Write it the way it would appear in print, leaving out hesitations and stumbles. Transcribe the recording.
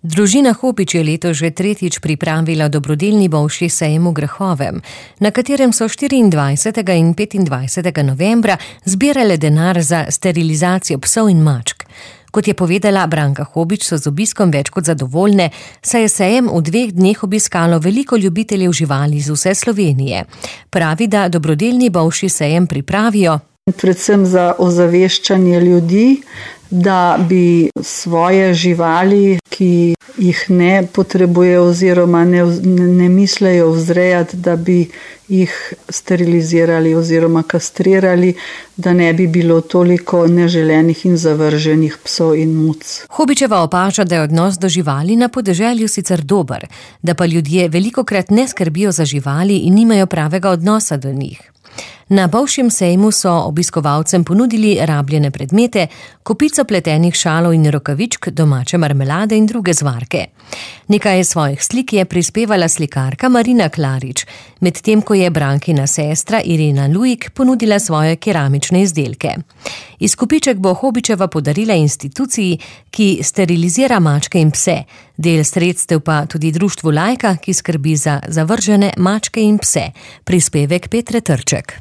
Družina Hobič je letos že tretjič pripravila dobrodelni bolšji sejem v Grahovem, na katerem so 24. in 25. novembra zbirale denar za sterilizacijo psov in mačk. Kot je povedala Branka Hobič, so z obiskom več kot zadovoljne, saj je sejem v 2 dneh obiskalo veliko ljubiteljev živali iz vse Slovenije. Pravi, da dobrodelni bolšji sejem pripravijo predvsem za ozaveščanje ljudi, da bi svoje živali, ki jih ne potrebujejo oziroma ne mislejo vzrejati, da bi jih sterilizirali oziroma kastrirali, da ne bi bilo toliko neželenih in zavrženih psov in muc. Hobičeva opaža, da je odnos do živali na podeželju sicer dober, da pa ljudje velikokrat ne skrbijo za živali in nimajo pravega odnosa do njih. Na bolšjem sejmu so obiskovalcem ponudili rabljene predmete, kopico pletenih šalov in rokavičk, domače marmelade in druge zvarke. Nekaj svojih slik je prispevala slikarka Marina Klarič, medtem ko je Brankina sestra Irena Lujik ponudila svoje keramične izdelke. Izkupiček bo Hobičeva podarila instituciji, ki sterilizira mačke in pse, del sredstev pa tudi društvu Lajka, ki skrbi za zavržene mačke in pse. Prispevek Petre Trček.